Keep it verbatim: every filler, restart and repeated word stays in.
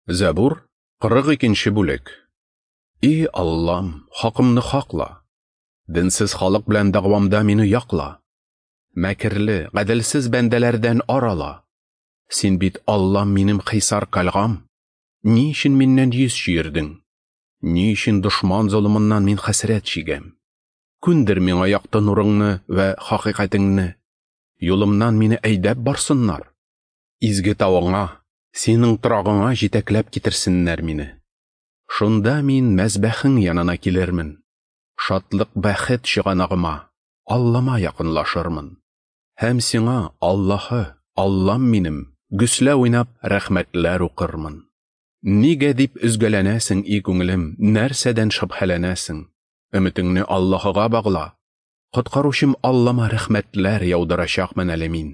Зәбур, кырык икенче бүлек. И Аллам, хакымны хакла. Динсез халык белән дәгъвамда мине якла. Мәкерле, гаделсез бәндәләрдән арала. Син бит Аллам минем хисар кальгам. Ни өчен миннән йөз чөердең? Ни өчен дошман золымыннан мин хәсрәт чигәм? Күндер миңа якты нурыңны вә хакыйкатеңне. Юлымнан мине әйдәп барсыннар. Изге тавыңа, синең торагыңа җитәкләп китерсеннәр мине. Шунда мин мәзбәхең янына килермен. Шатлык бәхет чыганагыма, Аллама якынлашырмын. Һәм сиңа, Аллаһы, Аллам минем, гөслә уйнап рәхмәтләр укырмын. Нигә дип өзгәләнәсең, и күңелем, нәрсәдән шөбһәләнәсең? Өметеңне Аллаһыга багла. Коткаручым Аллама рәхмәтләр яудырачакмын әле мин.